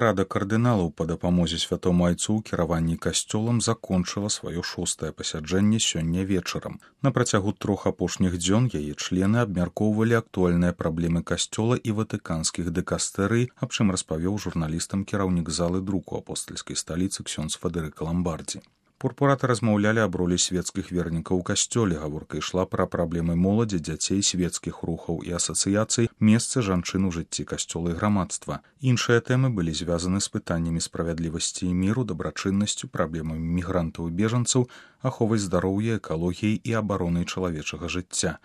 Рада кардыналаў па дапамозе святому айцу ў кіраванні касцёлам закончыла сваё 6-е пасяджэнне сёння вечарам. На працягу 3 апошніх дзён яе члены абмяркоўвалі актуальныя праблемы касцёла і ватыканскіх дыкастэрый, аб чым распавёў журналістам кіраўнік залы друку апостальскай сталіцы ксёндз Фадэрыка Ламбардзі. Пурпураты размаўлялі аб ролі свецкіх вернікаў у касцёле. Гаворка ішла пра праблемы моладзі, дзяцей, свецкіх рухаў і асацыяцый, месцы жанчын у жыцці касцёла і грамадства. Іншыя тэмы былі звязаны з пытаннямі справядлівасці і міру, дабрачыннасцю, праблемамі мігрантаў і бежанцаў, аховай здароўя, экалогіяй і абаронай чалавечага жыцця.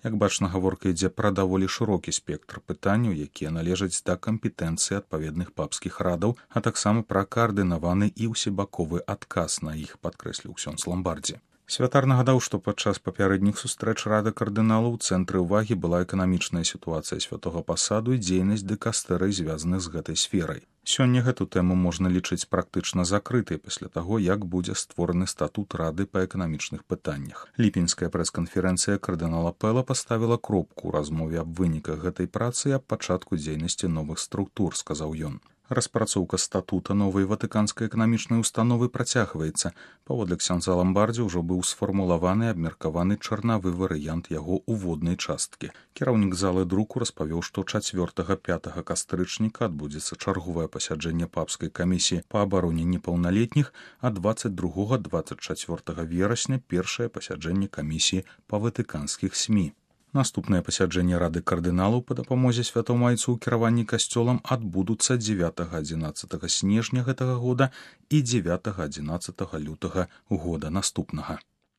Як бачна, гаворка ідзе пра даволі шырокі спектр пытанняў, якія належаць да кампетэнцыі адпаведных папскіх радаў, а таксама пра каардынаваны і ўсебаковы адказ на іх, падкрэсліў ксёндз Ламбардзі. Святар нагадаў, што падчас папярэдніх сустрэч рады кардыналаў у цэнтры ўвагі была эканамічная сітуацыя святога пасаду і дзейнасць дыкастэрый, звязаных з гэтай сферай. Сёння гэту тэму можна лічыць практычна закрытай пасля таго, як будзе створаны статут рады па эканамічных пытаннях. Ліпеньская прэс-канферэнцыя кардынала Пэла паставіла кропку ў размове аб выніках гэтай працы і аб пачатку дзейнасці новых структур, сказаў ён. Распрацоўка статута новай ватыканскай эканамічнай установы працягваецца. Паводле ксёндза Ламбардзі ўжо быў сфармулаваны і абмеркаваны чарнавы варыянт яго уводнай часткі. Кіраўнік залы друку распавёў, што 4-5 кастрычніка адбудзецца чарговае пасяджэнне папскай камісіі па абароне непаўналетніх, а 22-24 верасня першае пасяджэнне камісіі па ватыканскіх СМІ. Наступнае пасяджэнне рады кардыналаў па дапамозе святому айцу ў кіраванні касцёлам адбудуцца 9-11 снежня гэтага года і 9-11 лютага года наступнага.